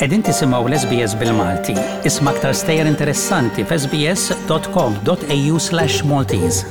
Qegħdin tisimgħu l-SBS bil-Malti. Isma' aktar stejjer interessanti f'sbs.com.au/Maltese.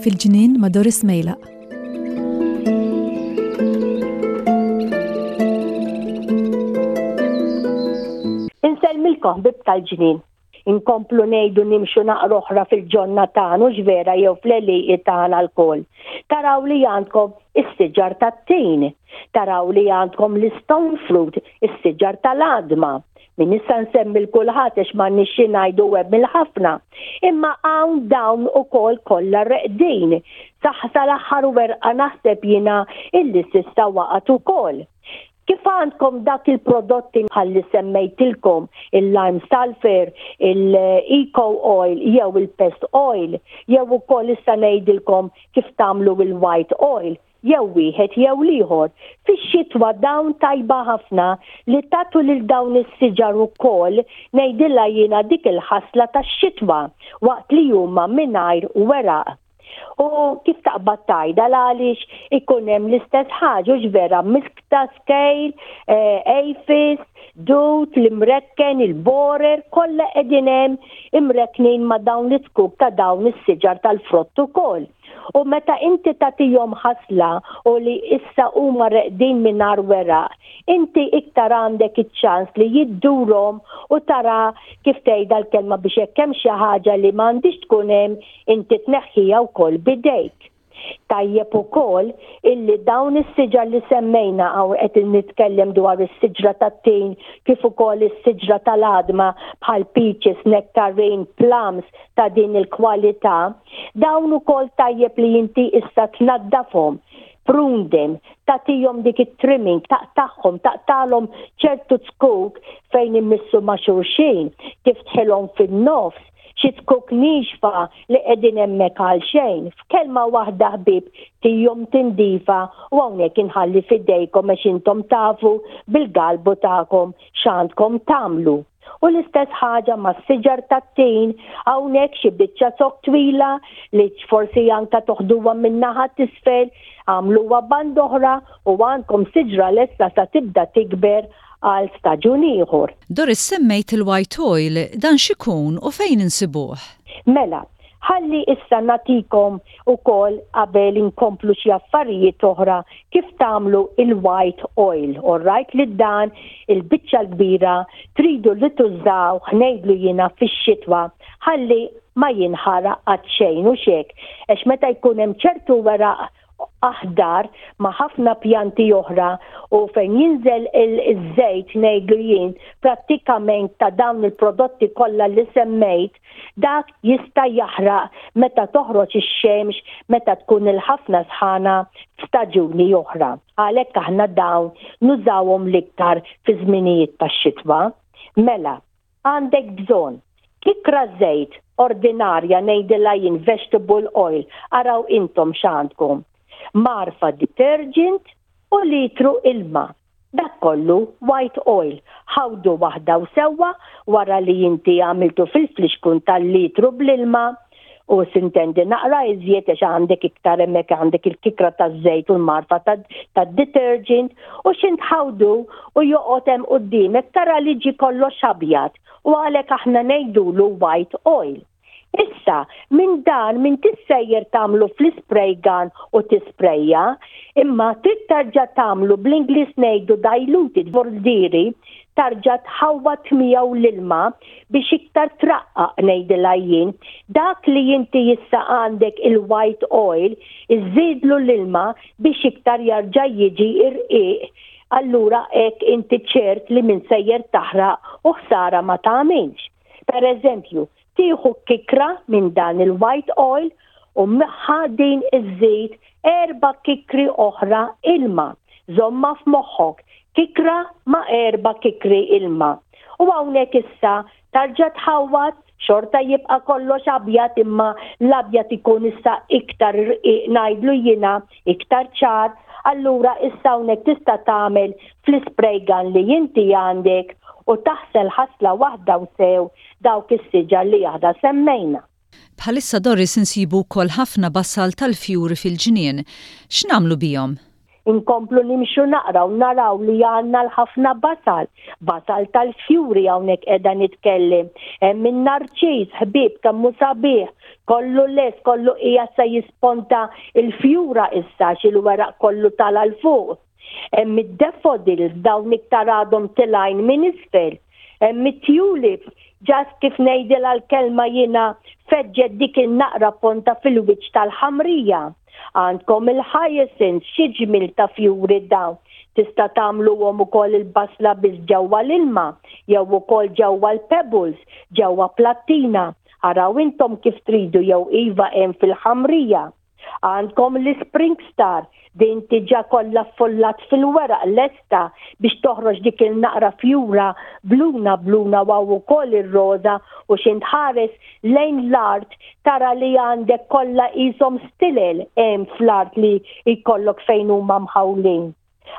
Fil-ġnien ma' Doris Mejlaq. Insellmilkom ħbieb tal-ġnien. Inkomplu ngħidu nimxu naqra oħra fil-ġonna tagħna hux vera jew fl-għelieqi tagħna lkoll. Taraw li għandkom is-siġar tat-tin. Taraw li għandkom l-istone fruit, is-siġar tal-għadma. Min issa nsemmi l kulħadd għax m'għandniex xi ngħidu hemm il-ħafna. Imma hawn dawn ukoll kollha reqdin. Saħ sal-aħħar werqa naħseb jiena illi s'issa waqgħet ukoll. Kif għandkom dak il-prodotti bħal li semmejtilkom, il-lime sulfur, il-eco oil jew il-pest oil, jew ukoll issa ngħidilkom kif tagħmlu il-white oil, jew wieħed jew l-ieħor. Fix-xitwa dawn tajba ħafna li tagħtu lil dawn is-siġar ukoll ngħidilha jiena dik il-ħasla tax-xitwa waqt li huma mingħajr weraq. U kif taqbad tgħidha l-għaliex ikun hemm l-istess ħaġa hux vera miskta, scale, eh, aphids, dut, l-imrekken, il-borer, kollha qegħdin hemm imrekknin ma' dawn l-itkuk ta' dawn is-siġar tal-frott ukoll. U meta inti tagħtihom ħasla u li issa huma reqdin mingħajr weraq, inti iktar għandek iċ-ċans li jiddurhom u tara kif tgħidha l-kelma biex hekk hemm xi ħaġa li m'għandhiex tkun hemm inti tneħħiha wkoll b'idejk. Tajjeb ukoll illi dawn is-siġar li semmejna hawn qed nitkellem dwar is-siġra tat-tin kif ukoll is-siġra tal-għadma bħal peaches, nectarine, plums ta' din il-kwalità, dawn ukoll tajjeb li inti issa tnaddafhom, prune them, tagħtihom dik it-trimming, taqtagħhom, taqtagħlhom ċertu zkuk fejn imissu ma' xulxin, tiftħilhom fin-nofs, Xi zkuk niexfa li qegħdin hemmhekk għal xejn. F'kelma waħda ħbieb, tihom tindifa u hawnhekk inħalli f'idejkom għax intom tafu bil-galbu tagħkom x'għandkom tagħmlu. U l-istess ħaġa mas-siġar tat-tin, hawnhekk xi biċċa zokk twila li forsi anka toħduha min-naħa t'isfel, agħmluha band'oħra u għandkom siġra lesta sa tibda tikber għal staġun ieħor. Doris semmejt il-white oil, dan x'ikun u fejn insibuh? Mela, ħalli issa nagħtikom ukoll qabel inkomplu xi affarijiet oħra kif tagħmlu il-white oil, alright li dan il-biċċa l-kbira tridu li tużawh ngħidlu jiena fix-xitwa ħalli ma jinħaraq qatt xejn hux hekk għax meta jkun hemm ċertu weraq aħdar ma' ħafna pjanti oħra u fejn jinżel iż-żejt ngħidlu jien prattikament ta' dawn il-prodotti kollha li semmejt, dak jista' jaħraq meta toħroġ ix-xemx meta tkun il-ħafna sħana f'staġuni oħra. Għalhekk aħna dawn nużawhom l-iktar fi żminijiet tax-xitwa. Mela, Għandek bżonn, Kikra żejt ordinarja ngħidilha jien vegetable oil, araw intom x'għandkom, mgħarfa detergent u litru ilma. Dak kollu white oil. Ħawdu waħda u sewwa wara li inti għamiltu fil-flixkun tal-litru bl-ilma u sintendi naqra iżjed għax għandek iktar hemmhekk għandek il-kikra taż-żejt u l-marfa tad-detergent u x'intħawdu u joqgħod hemm quddiemek tara li ġie kollox abjad u għalhekk aħna ngħidulu white oil. Issa, minn dan minn tissejjer tagħmlu fl-ispray gun u tisprejja, imma trid tarġa' tagħmlu bl-Ingliż ngħidu diluted vordieri tarġa' tħawwad miegħu l-ilma biex iktar traqqaq ngħidilha jien, dak li inti issa għandek il-white oil iżżidlu l-ilma biex iktar jarġa' jiġi irqiq allura hekk inti ċert li minn sejjer taħraq u ħsara ma tagħmilx. Per eżempju, tieħu kikra minn dan il-white oil u magħha din iżżid erba' kikri oħra ilma. Żommha f'moħħok, kikra ma' erba' kikri ilma. U hawnhekk issa tarġa' tħawwad. Xorta jibqa' kollox abjad imma l-abjad ikun issa iktar irqiq ngħidlu jiena, iktar ċar, allura issa hawnhekk tista' tagħmel fl-ispray gun li inti għandek u taħsel ħasla waħda u sew dawk is-siġar li aħna semmejna. Bħalissa Doris insibu wkoll ħafna basal tal-fjuri fil-ġnien. X'nagħmlu bihom? Inkomplu nimxu naqra u naraw li għandna l-ħafna basal. Basal tal-fjuri hawnhekk qiegħda nitkellem. Hemm in-narċiż, ħbieb kemm hu sabiħ, kollu lest, kollu qiegħed se jisponta l-fjura issa għax il-weraq kollu tala' 'l fuq. Hemm id-daffodils dawn iktar għadhom tilgħin minn isfel. Hemm it-tulips, just kif ngħidilha l-kelma jiena feġġet dik in-naqra ponta fil-wiċċ tal-ħamrija. Għandkom il-hyacinths, xi ġmiel ta' fjuri dawn. Tista' tagħmluhom ukoll il-basla biss ġewwa l-ilma jew ukoll ġewwa l-pebbles, ġewwa plattina. Araw intom kif tridu jew iva hemm fil-ħamrija. Għandkom l-Spring Star, din diġà kollha ffullat fil-weraq lesta biex toħroġ dik il-naqra fjura bluna bluna u hawn ukoll ir-roża u x'int ħares lejn l-art tara li għandek kollha qishom stilel hemm fl-art li jkollok fejn huma mħawlin.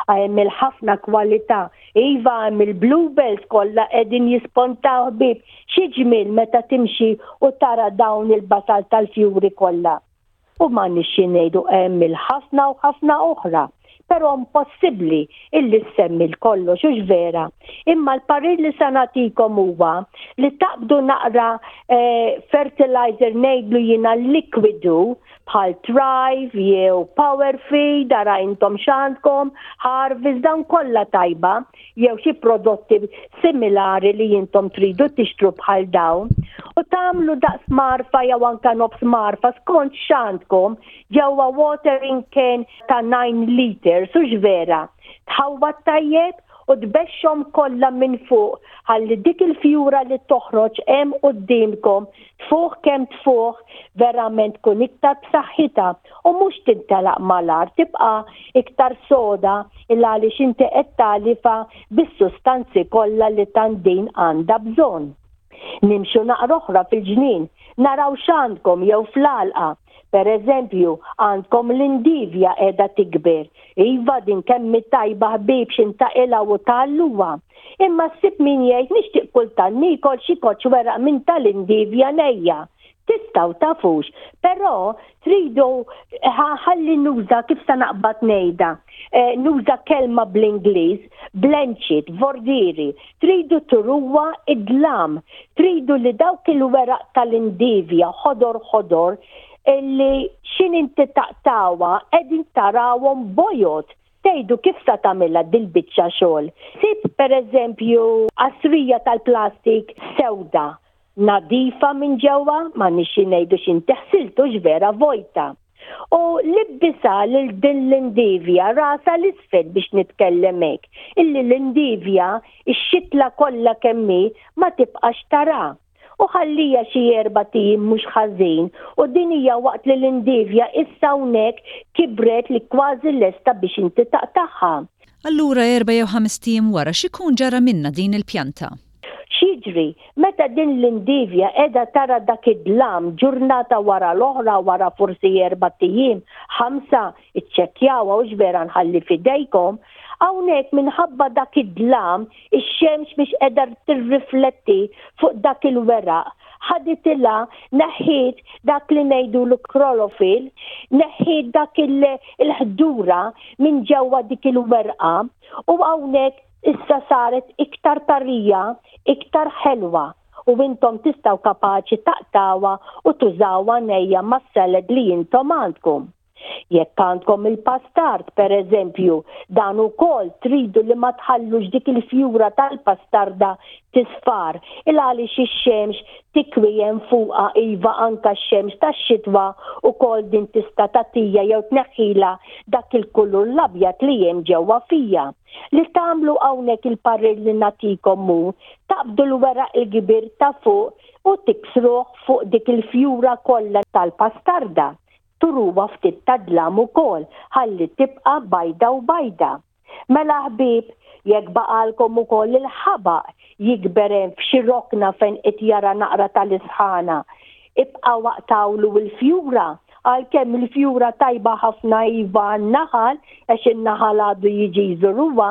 Hemm il-ħafna kwalità. Iva hemm il-bluebells kollha qegħdin jispontaw ħbieb. Xi ġmiel meta timxi u tara dawn il-basal tal-fjuri kollha. U m'għandniex xi ngħidu hemm il-ħafna u ħafna oħra. Però impossibbli illi ssemmi l-kollox hux vera. Imma l-parir li sa nagħtikom huwa li taqbdu naqra eh, fertilizer ngħidlu jiena likwidu bħal Thrive jew Power Feed, ara intom x'għandkom, Harvest, dawn kollha tajba, jew xi prodotti similari li intom tridu tixtru bħal dawn, u tagħmlu daqs marfa jew anka nofs marfa skont x'għandkom ġewwa watering can ta' 9 liters, hux vera? Tħawwad tajjeb u tbexxhom kollha minn fuq ħalli dik il-fjura li toħroġ hemm quddiemkom Tfuħ kemm tfuħ, verament tkun iktar b'saħħitha u mhux tintelaq mal-art, tibqa' iktar soda il għaliex inti qed tagħlifha bis-sustanzi kollha li tant din għandha bżonn. Nimxu naqra oħra fil-ġnien, naraw x'għandkom jew fl-għalqa. Per eżempju, għandkom l-indivja qiegħda tikber. Iva din kemm hi tajba ħbieb x'intaqilgħu u tgħalluha. Imma ssib min jgħid nixtieq kultant niekol xi koċċ weraq minn tal-indivja nejja. Tistgħu tafux, però tridu ħalli nuża kif sa naqbad ngħidha. Eh, nuża kelma bl-Ingliż, blanchit, vordieri, tridu turuha id-dlam, tridu li dawk il-weraq tal-indivja ħodor ħodor illi x'in inti taqtgħuha qegħdin tarawhom bojod. Tgħidu kif sa tagħmilha dil-biċċa xogħol? Sib pereżempju qasrija tal-plastik sewda, nadifa minn ġewwa, m'għandniex xi ngħidu x'inti ħsilt hux vera vojta. U libbisha lil din l-indivja rasha 'l isfel biex nitkellem hekk, illi l-indivja, ix-xitla kollha kemm hi, ma tibqax tara. U ħallija xi erbat ijiem mhux ħażin u din hija waqt li l-indivja issa hawnhekk kibret li kważi lesta biex inti taqtagħha. Allura erba' jew ħamest ijiem wara x'ikun ġara minnha din il-pjanta? X'jiġri meta din l-indivja qiegħda tara dak id-dlam ġurnata wara l-oħra wara forsi erbat ijiem, ħamsa, iċċekkjawha hux vera nħalli f'idejkom, hawnhekk minħabba dak id-dlam ix-xemx mhix qiegħda tirrifletti fuq dak il-weraq, ħaditilha neħħiet dak li ngħidulu chlorophyll, neħħiet dak il-ħdura minn ġewwa dik il-werqa u hawnhekk Issa saret iktar tarija, iktar ħelwa u intom tistgħu kapaċi taqtgħuha u tużawha nejja mas-salad li intom għandkom. Jekk għandkom il-pastard, per eżempju, dan ukoll tridu li ma tħallux dik il-fjura tal-pastarda tisfar, il għaliex ix-xemx tikwi hemm fuqha iva anka x-xemx tax-xitwa ukoll din tista' tagħtija jew tneħħilha dak il-kulur l-abjad li hemm ġewwa fija. Li tagħmlu hawnhekk il-parir li nagħtikom hu taqbdu l-weraq il-kbir ta' fuq u tiksruh fuq dik il-fjura kollha tal-pastarda. Turuha ftit ta' dlam ukoll ħalli tibqa' bajda u bajda. Mela ħbieb, Jekk baqgħalkom ukoll il-ħabaq jikber hemm f'xi rokna fejn qed jara naqra tal-isħana, ibqgħu aqtgħulu l-fjura, għalkemm il-fjura tajba ħafna iva għan-naħal għax in-naħal għadu jiġi jżuruha,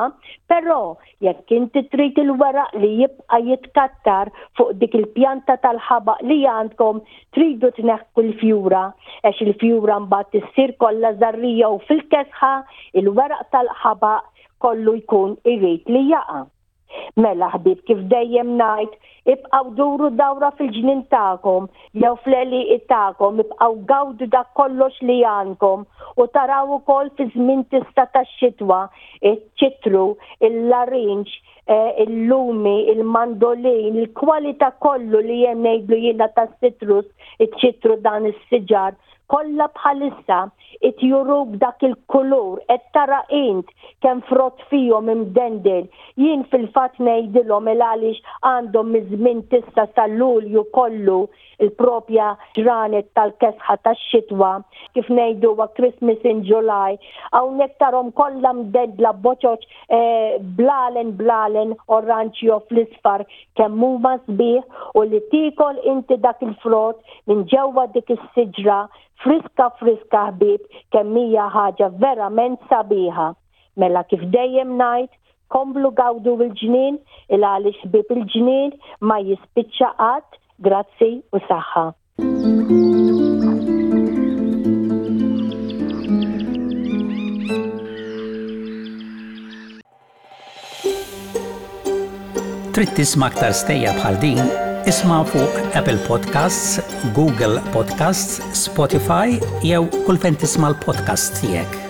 però jekk inti trid il-weraq li jibqa' jitkattar fuq dik il-pjanta tal-ħabaq li għandkom tridu tneħħu l-fjura għax il-fjura mbagħad issir kollha żarrija u fil-kesħa il-weraq tal-ħabaq kollu jkun irid li jaqa'. Mela ħbieb kif dejjem ngħid, ibqgħu duru dawra fil-ġnien tagħkom jew fl-għelieqi tagħkom, ibqgħu gawdu dak kollox li għandkom u taraw ukoll fi żmien tista' tax-xitwa, iċ-ċitru, il-larinġ, eh, il-lumi, il-mandolin, il-kwalità kollu li hemm ngħidlu jiena tas-citrus, iċ-ċitru dan is-siġar, kollha bħalissa qed juruk dak il-kulur qed tara int kemm frott fihom imdendel. Jien fil-fatt ngħidilhom il għaliex għandhom miż-żmien t'issa sa Lulju kollu il-propja ġranet tal-kesħa tax-xitwa, kif ngħiduha Christmas in July, hawnhekk tarhom kollha mdendla boċoċ eh, blalen blalen oranġjo fl-isfar kemm huma sbieħ u li tiekol inti dak il-frott minn ġewwa dik is-siġra friska friska ħbieb kemm hija ħaġa verament sabiħa. Mela kif dejjem ngħid, komplu gawdu l-ġnien il għaliex ħbieb il-ġnien ma jispiċċa qatt, grazzi u saħħa. Trid tisma' aktar stejjer bħal din? Isma' fuq Apple Podcasts, Google Podcasts, Spotify jew kull fejn tisma' l-podcasts tiegħek.